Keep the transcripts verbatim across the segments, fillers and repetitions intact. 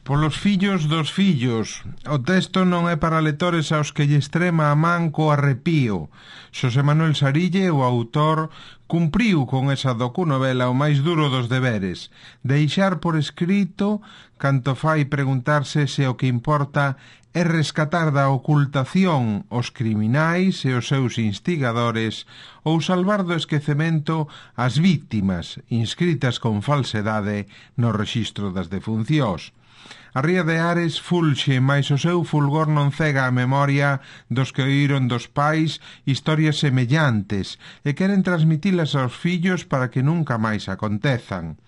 Polos fillos dos fillos. O texto non é para lectores aos que lle extrema a man co arrepío. Xosé Manuel Sarille, o autor, cumpriu con esa docunovela o máis duro dos deberes, deixar por escrito canto fai preguntarse se o que importa é rescatar da ocultación os criminais e os seus instigadores ou salvar do esquecemento as víctimas inscritas con falsedade no rexistro das defuncións. A ría de Ares fulxe, mais o seu fulgor non cega a memoria dos que oíron dos pais historias semellantes e queren transmitilas aos fillos para que nunca máis acontezan.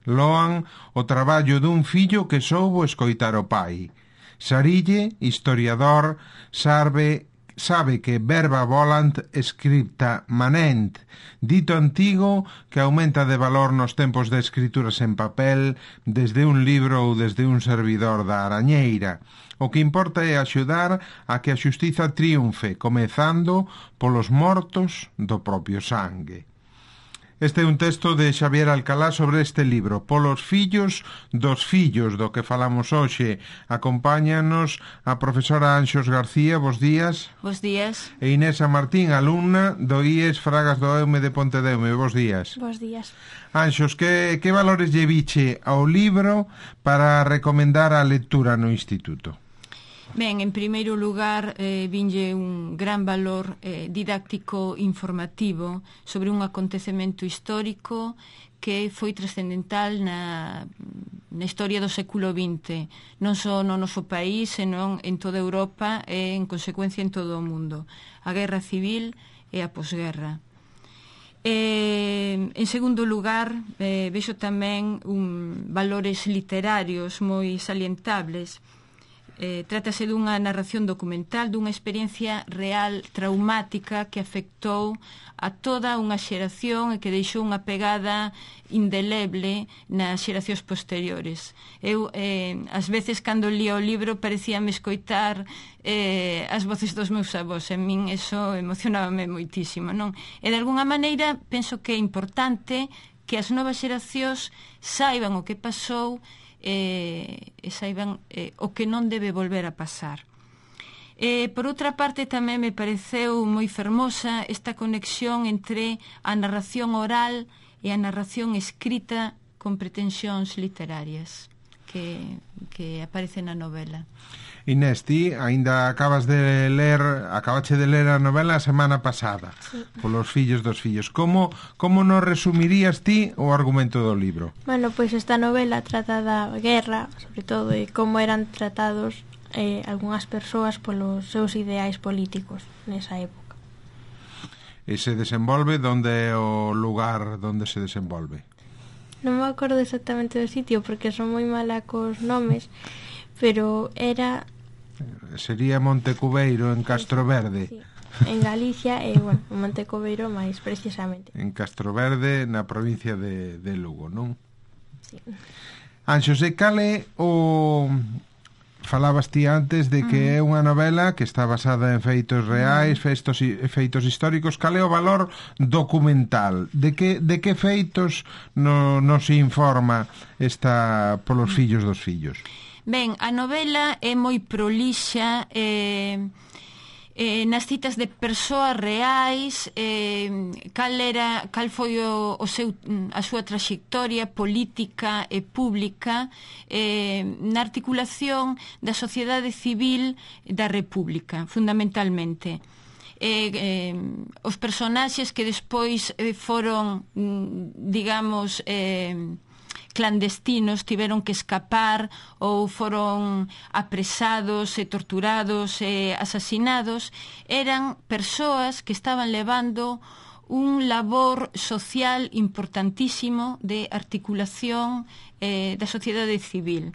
Loan o traballo dun fillo que soubo escoitar o pai. Sarille, historiador, sabe, sabe que verba volant scripta manent, dito antigo que aumenta de valor nos tempos de escrituras en papel desde un libro ou desde un servidor da arañeira. O que importa é axudar a que a xustiza triunfe, comezando polos mortos do propio sangue. Este é un texto de Xavier Alcalá sobre este libro, Polos fillos dos fillos, do que falamos hoxe. Acompáñanos a profesora Anxos García, bos días. Bos días. E Inés Martín, alumna do I E S Fragas do Eume de Pontedeume, bos días. Bos días. Anxos, que, que valores lle viche ao libro para recomendar a lectura no instituto? Ben, en primeiro lugar, eh, vinlle un gran valor eh, didáctico informativo sobre un acontecemento histórico que foi trascendental na, na historia do século vinte, non só no noso país, senón en toda Europa e, en consecuencia, en todo o mundo. A Guerra Civil e a posguerra. Eh, en segundo lugar, eh, vexo tamén un, valores literarios moi salientables. Eh, trátase dunha narración documental dunha experiencia real traumática que afectou a toda unha xeración e que deixou unha pegada indeleble nas xeracións posteriores. Eu, eh, ás veces, cando lía o libro, parecíame escoitar eh, as voces dos meus avós. En min eso emocionábame moitísimo, non? E, de alguna maneira, penso que é importante que as novas xeracións saiban o que pasou e, e saiban eh, o que non debe volver a pasar. Eh, por outra parte, tamén me pareceu moi fermosa esta conexión entre a narración oral e a narración escrita con pretensións literarias que, que aparece na novela. Inés, ti aínda acabas de ler, acabache de ler a novela a semana pasada, sí. Polos fillos dos fillos. Como, como nos resumirías ti o argumento do libro? Bueno, pois esta novela trata da guerra, sobre todo, e como eran tratados eh, algunhas persoas polos seus ideais políticos nesa época. E se desenvolve donde é o lugar donde se desenvolve? Non me acordo exactamente do sitio porque son moi mala cos nomes, pero era... Sería Montecubeiro, en Castroverde. Sí, en Galicia e, bueno, Montecubeiro máis precisamente. En Castroverde, na provincia de, de Lugo, non? Sí. Anxos, e cale o... Falabas ti antes de que é unha novela que está basada en feitos reais, feitos, feitos históricos. Cale o valor documental? De que, de que feitos no, nos informa esta Polos fillos dos fillos? Ben, a novela é moi prolixa, eh, eh, nas citas de persoas reais, eh, cal era, cal foi o, o seu, a súa traxectoria política e pública eh, na articulación da sociedade civil da República, fundamentalmente. Eh, eh, os personaxes que despois eh, foron, digamos... Eh, clandestinos, tiveron que escapar ou foron apresados e torturados e asasinados, eran persoas que estaban levando un labor social importantísimo de articulación eh, da sociedade civil.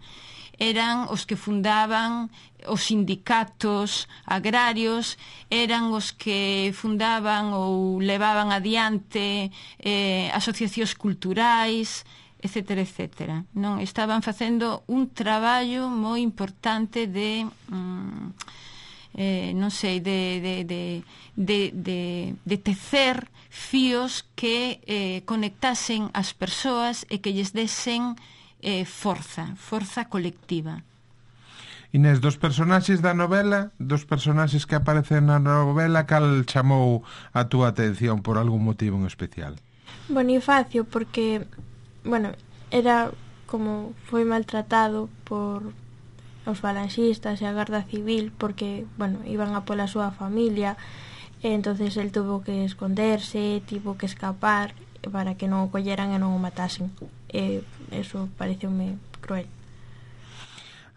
Eran os que fundaban os sindicatos agrarios, eran os que fundaban ou levaban adiante eh, asociacións culturais, etcétera, etcétera. Non estaban facendo un traballo moi importante de mm, eh, non sei de, de, de, de, de, de tecer fíos que eh, conectasen as persoas e que lles desen eh, forza, forza colectiva. Inés, dos personaxes da novela, dos personaxes que aparecen na novela, cal chamou a túa atención por algún motivo en especial? Bonifacio, porque, bueno, era como foi maltratado por os falanxistas e a Garda Civil, porque, bueno, iban a pola súa familia, e entonces el tuvo que esconderse, tivo que escapar para que non o colleran e non o matasen. E eso pareceume cruel.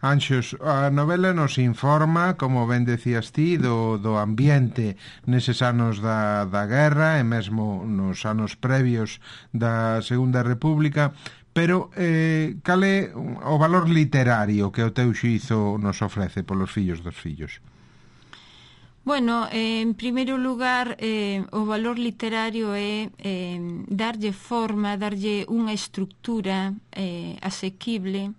Anxos, a novela nos informa, como ben decías ti, do, do ambiente neses anos da, da guerra e mesmo nos anos previos da Segunda República, pero eh, cal é o valor literario que o teu xuízo nos ofrece polos fillos dos fillos? Bueno, eh, en primeiro lugar, eh, o valor literario é eh, darlle forma, darlle unha estructura eh, asequible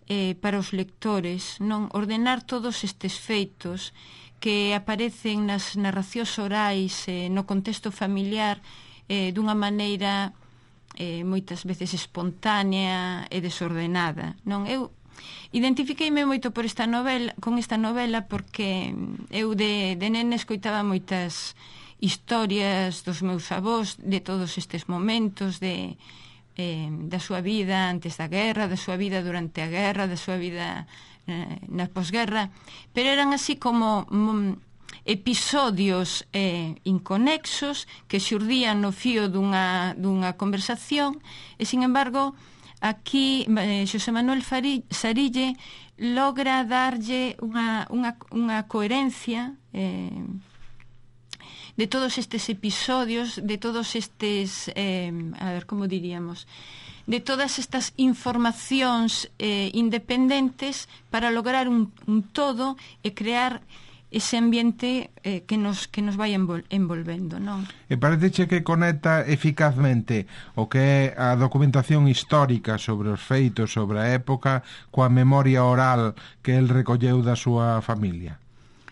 eh, para os lectores, non ordenar todos estes feitos que aparecen nas narracións orais eh, no contexto familiar eh, dunha maneira eh, moitas veces espontánea e desordenada, non? Eu identifiqueime moito por esta novela, con esta novela porque eu de, de nene escoitaba moitas historias dos meus avós de todos estes momentos de Eh, da súa vida antes da guerra, da súa vida durante a guerra, da súa vida eh, na posguerra, pero eran así como mm, episodios eh, inconexos que xurdían no fío dunha, dunha conversación e, sin embargo, aquí eh, Xosé Manuel Sarille logra darlle unha, unha, unha coherencia eh, de todos estes episodios, de todos estes, eh, a ver, como diríamos, de todas estas informacións eh, independentes para lograr un, un todo e crear ese ambiente eh, que nos que nos vai envol, envolvendo, non? E parece que conecta eficazmente o que é a documentación histórica sobre os feitos, sobre a época, coa memoria oral que el recolleu da súa familia.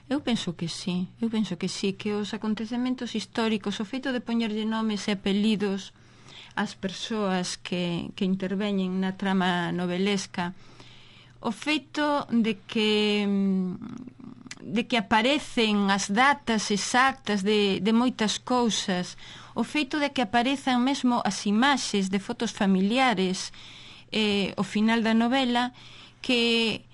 Eu penso que sí, eu penso que sí, que os acontecementos históricos, o feito de poñerlle nomes e apelidos ás persoas que, que interveñen na trama novelesca, o feito de que de que aparecen as datas exactas de, de moitas cousas, o feito de que aparezan mesmo as imaxes de fotos familiares eh, ao final da novela, que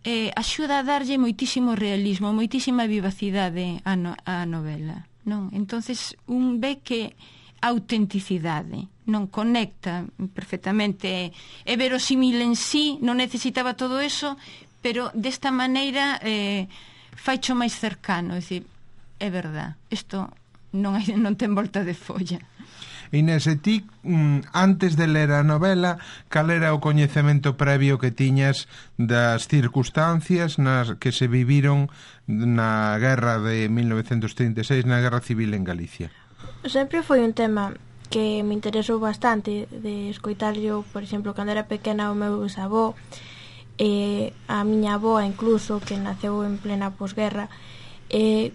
Eh, axuda a darlle moitísimo realismo, moitísima vivacidade á, no, á novela, non? Entonces un ve que a autenticidade non conecta perfectamente, é verosímil en sí, non necesitaba todo eso, pero desta maneira eh, faicho máis cercano, é dicir, é verdad, isto non, hai, non ten volta de folla. Inés, e ti, antes de ler a novela, cal era o coñecemento previo que tiñas das circunstancias nas que se viviron na guerra de mil novecentos trinta e seis, na guerra civil en Galicia? Sempre foi un tema que me interesou bastante de escoitarlo, por exemplo, cando era pequena o meu bisavó, e a miña avoa incluso, que naceu en plena posguerra, e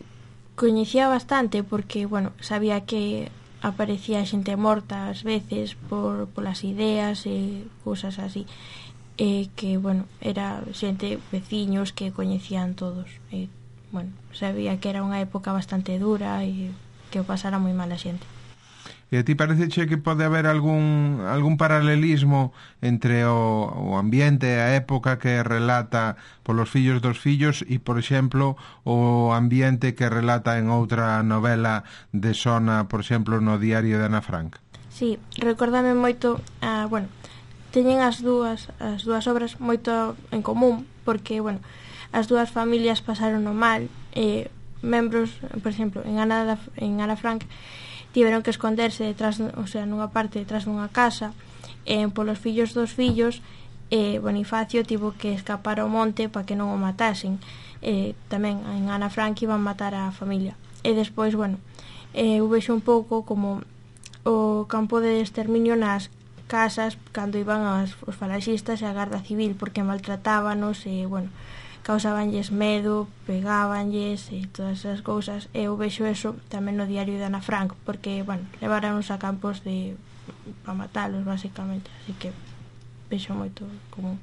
coñecía bastante porque, bueno, sabía que aparecía xente morta ás veces por polas ideas e cousas así, e que, bueno, era xente, veciños que coñecían todos, e, bueno, sabía que era unha época bastante dura e que o pasara moi mal a xente. E a ti pareceche que pode haber algún algún paralelismo entre o, o ambiente e a época que relata polos fillos dos fillos e, por exemplo, o ambiente que relata en outra novela de Sona, por exemplo, no Diario de Ana Frank? Sí, recórdame moito, ah, bueno, teñen as dúas as dúas obras moito en común, porque, bueno, as dúas familias pasaron o mal, e membros, por exemplo, en Ana, en Ana Frank tiveron que esconderse detrás, o sea, nunha parte detrás dunha casa, e polos fillos dos fillos, e Bonifacio tivo que escapar ao monte para que non o matasen. E tamén en Ana Frank iban matar a familia. E despois, bueno, eu vexo un pouco como o campo de exterminio nas casas cando iban as, os falanxistas e a Garda Civil, porque maltratábanos e, bueno, causabanlles medo, pegábanlles e todas esas cousas. E eu vexo eso tamén no Diario de Ana Frank, porque, bueno, leváranos a campos de para matalos, basicamente, así que... vexo moito común.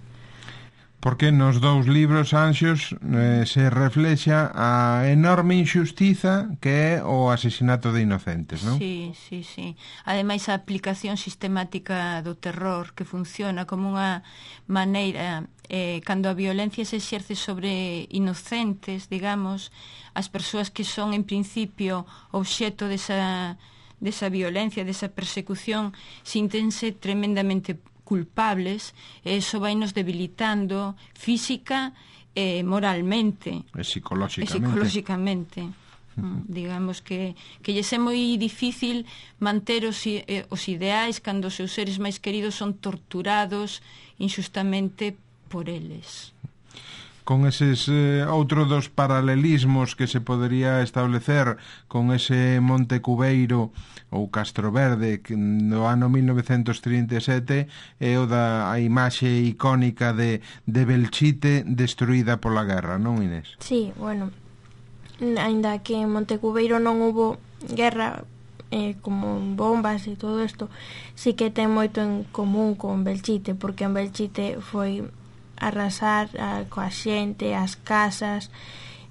Porque nos dous libros, Anxos, eh, se reflexa a enorme injustiza que é o asesinato de inocentes, non? Sí, sí, sí. Ademais, a aplicación sistemática do terror que funciona como unha maneira, eh, cando a violencia se exerce sobre inocentes, digamos, as persoas que son, en principio, obxeto desa, desa violencia, desa persecución, síntense tremendamente culpables, e iso vai nos debilitando física e moralmente e psicolóxicamente, e psicolóxicamente. Mm, digamos que que lles é moi difícil manter os, eh, os ideais cando os seus seres máis queridos son torturados injustamente por eles. Con eses eh, outro dos paralelismos que se podería establecer con ese Monte Cubeiro ou Castro Verde que no ano mil novecentos trinta e sete é o da a imaxe icónica de, de Belchite destruída pola guerra, non, Inés? Sí, bueno, ainda que en Monte Cubeiro non hubo guerra eh, como bombas e todo isto, sí que ten moito en común con Belchite, porque en Belchite foi arrasar a, coa xente, as casas,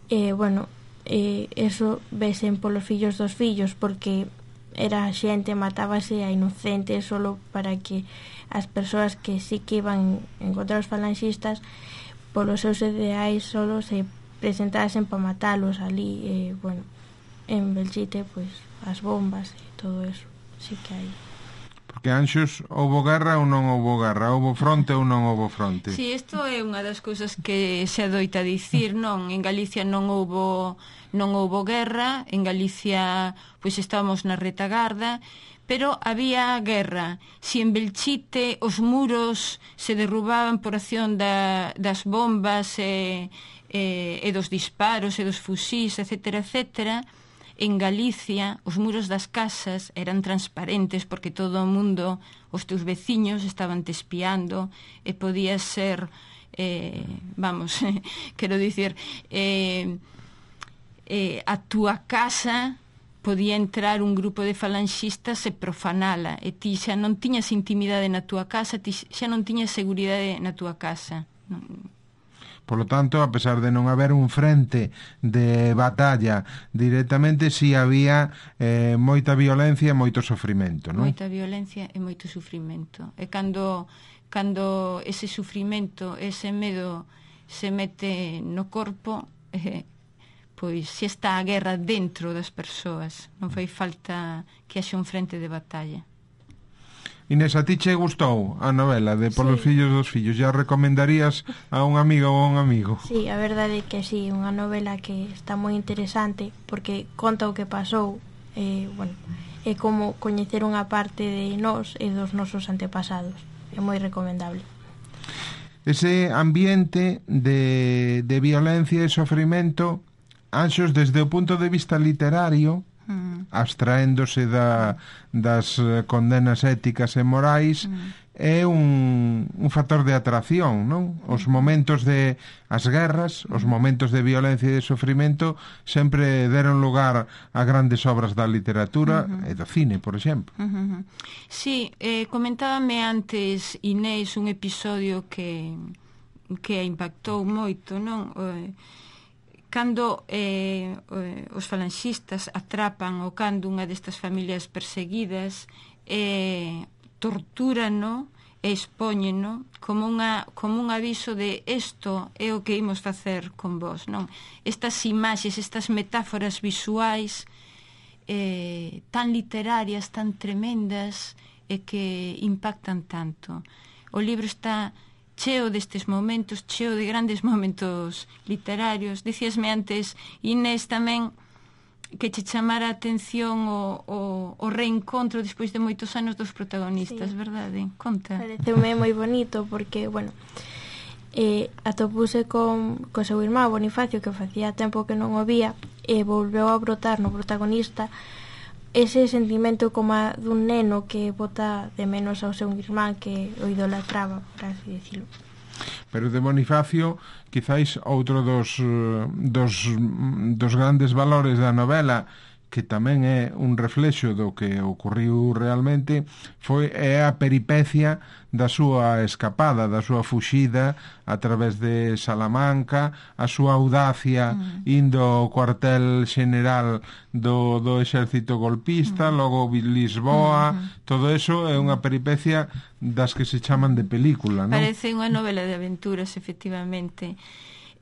e, bueno, e, eso vesen polos fillos dos fillos, porque era a xente, matábase a inocentes solo para que as persoas que sí que iban encontrar os falanxistas polos seus ideais solo se presentasen para matalos ali, e, bueno, en Belchite, pois, as bombas e todo eso, sí que hai. Porque, Anxos, houbo guerra ou non houbo guerra? Houbo fronte ou non houbo fronte? Si, sí, isto é unha das cousas que se adoita dicir, non? En Galicia non houbo non houbo guerra, en Galicia pois estábamos na retagarda, pero había guerra. Si en Belchite os muros se derrubaban por acción da, das bombas e, e, e dos disparos e dos fusís, etcétera, etcétera, en Galicia os muros das casas eran transparentes porque todo o mundo, os teus veciños estaban te espiando e podía ser, eh, vamos, quero dicir, eh, eh, a túa casa podía entrar un grupo de falanxistas e profanala, e ti xa non tiñas intimidade na túa casa, ti xa non tiñas seguridade na túa casa. Non. Por lo tanto, a pesar de non haber un frente de batalla directamente, si había eh, moita violencia e moito sofrimento, non? Moita violencia e moito sufrimento. E cando, cando ese sufrimento, ese medo se mete no corpo, eh, pois se está a guerra dentro das persoas. Non fai falta que haxa un frente de batalla. Inés, a ti che gustou a novela de Polos Sí. fillos dos fillos? Ya recomendarías a un amigo ou a un amigo? Sí, a verdade é que sí, unha novela que está moi interesante porque conta o que pasou, e, bueno, é como coñecer unha parte de nós e dos nosos antepasados. É moi recomendable. Ese ambiente de, de violencia e sofrimento, Anxos, desde o punto de vista literario, mm. abstraéndose da, das condenas éticas e morais, mm. é un, un factor de atracción, non? Os momentos de as guerras, os momentos de violencia e de sofrimento sempre deron lugar a grandes obras da literatura uh-huh. e do cine, por exemplo. Uh-huh. Sí, eh, comentábame antes Inés un episodio que que impactou moito, non? Eh, cando eh, os falanxistas atrapan o cando unha destas familias perseguidas e eh, tortúrano e expóñeno como, unha, como un aviso de isto é o que imos facer con vos, non? Estas imaxes, estas metáforas visuais eh, tan literarias, tan tremendas e que impactan tanto. O libro está cheo destes momentos, cheo de grandes momentos literarios. Dicíasme antes, Inés, tamén que che chamara a atención o, o, o reencontro despois de moitos anos dos protagonistas, sí. Verdade? Conta. Pareceume moi bonito porque, bueno, eh, atopuse con, con seu irmán Bonifacio, que facía tempo que non o vía, e volveu a brotar no protagonista ese sentimento como a dun neno que bota de menos ao seu irmán que o idolatraba, por así decirlo. Pero de Bonifacio, quizáis outro dos, dos, dos grandes valores da novela que tamén é un reflexo do que ocorriu realmente, foi é a peripecia da súa escapada, da súa fuxida a través de Salamanca, a súa audacia mm. indo ao cuartel general do, do exército golpista, mm. logo Lisboa, mm. todo eso é unha peripecia das que se chaman de película, non? Parece unha novela de aventuras, efectivamente.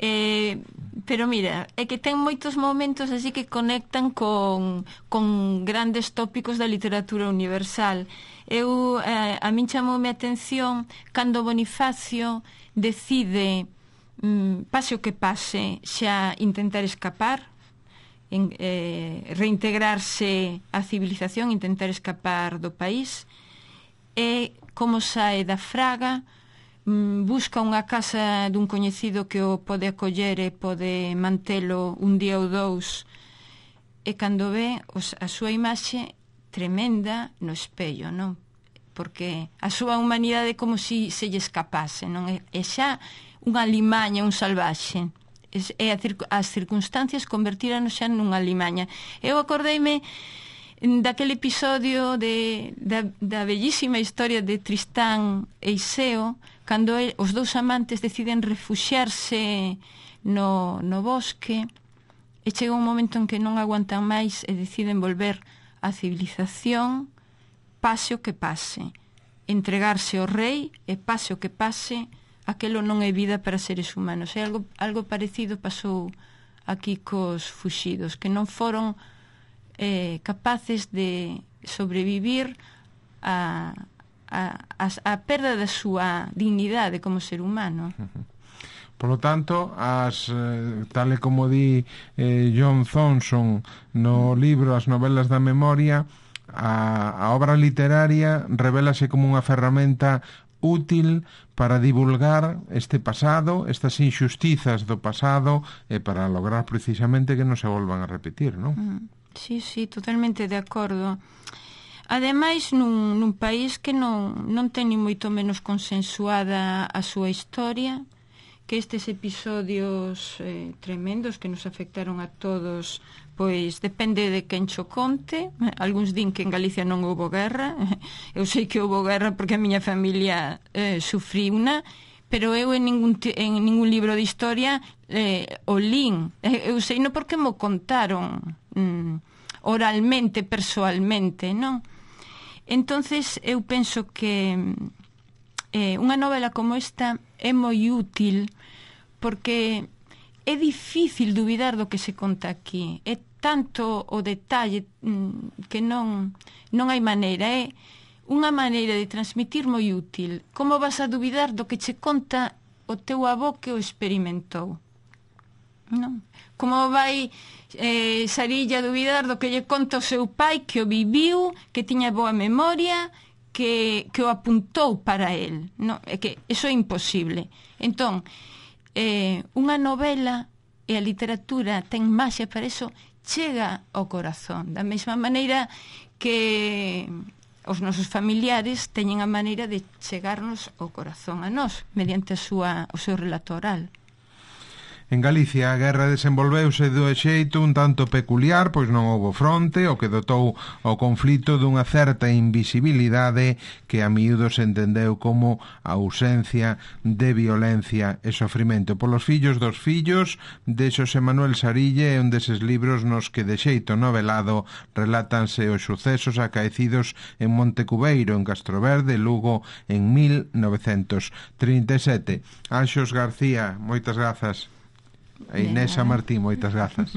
Eh, pero mira, é que ten moitos momentos así que conectan con, con grandes tópicos da literatura universal. Eu, eh, a min chamoume a atención cando Bonifacio decide, mm, pase o que pase, xa intentar escapar, en, eh, reintegrarse á civilización, intentar escapar do país, e como sae da fraga, busca unha casa dun coñecido que o pode acoller e pode mantelo un día ou dous, e cando ve os, a súa imaxe tremenda no espello, non? Porque a súa humanidade como si se lle escapase, non? É, é xa unha limaña, un salvaxe, e a, as circunstancias convertíranos xa nunha limaña. Eu acordeime daquele episodio de, da, da bellísima historia de Tristán e Iseo, cando el, os dous amantes deciden refuxiarse no, no bosque, e chega un momento en que non aguantan máis e deciden volver á civilización, pase o que pase, entregarse ao rei, e pase o que pase, aquelo non é vida para seres humanos. E algo, algo parecido pasou aquí cos fuxidos, que non foron eh, capaces de sobrevivir a A, a, a perda da súa dignidade como ser humano. Por lo tanto, as, eh, tal e como di eh, John Thomson no libro As novelas da memoria, a, a obra literaria revélase como unha ferramenta útil para divulgar este pasado, estas injustizas do pasado, e para lograr precisamente que non se volvan a repetir, non? Mm, sí, sí, totalmente de acordo. Ademais, nun, nun país que non, non ten ni moito menos consensuada a súa historia, que estes episodios eh, tremendos que nos afectaron a todos, pois depende de quen cho conte. Algúns din que en Galicia non houbo guerra. Eu sei que houbo guerra porque a miña familia eh, sufriuna, pero eu en ningún, en ningún libro de historia eh, o lin. Eu sei non porque mo contaron mm, oralmente, persoalmente, non? Entonces eu penso que eh, unha novela como esta é moi útil porque é difícil dubidar do que se conta aquí. É tanto o detalle mm, que non, non hai maneira. É unha maneira de transmitir moi útil. Como vas a dubidar do que che conta o teu avó que o experimentou? Non? Como vai eh, Sarilla a dubidar do que lle conta o seu pai que o viviu, que tiña boa memoria, que, que o apuntou para el? Non? É que iso é imposible. Entón, eh, unha novela e a literatura ten maxia para eso, chega ao corazón, da mesma maneira que os nosos familiares teñen a maneira de chegarnos ao corazón a nós, mediante a súa, o seu relato oral. En Galicia a guerra desenvolveuse do xeito un tanto peculiar, pois non houbo fronte, o que dotou ao conflito dunha certa invisibilidade que a miúdo se entendeu como a ausencia de violencia e sofrimento. Polos fillos dos fillos de Xosé Manuel Sarille é un deses libros nos que de xeito novelado relátanse os sucesos acaecidos en Montecubeiro, en Castroverde, Lugo, en mil novecentos trinta e sete. Anxos García, moitas grazas. E Inés Martín, moitas grazas.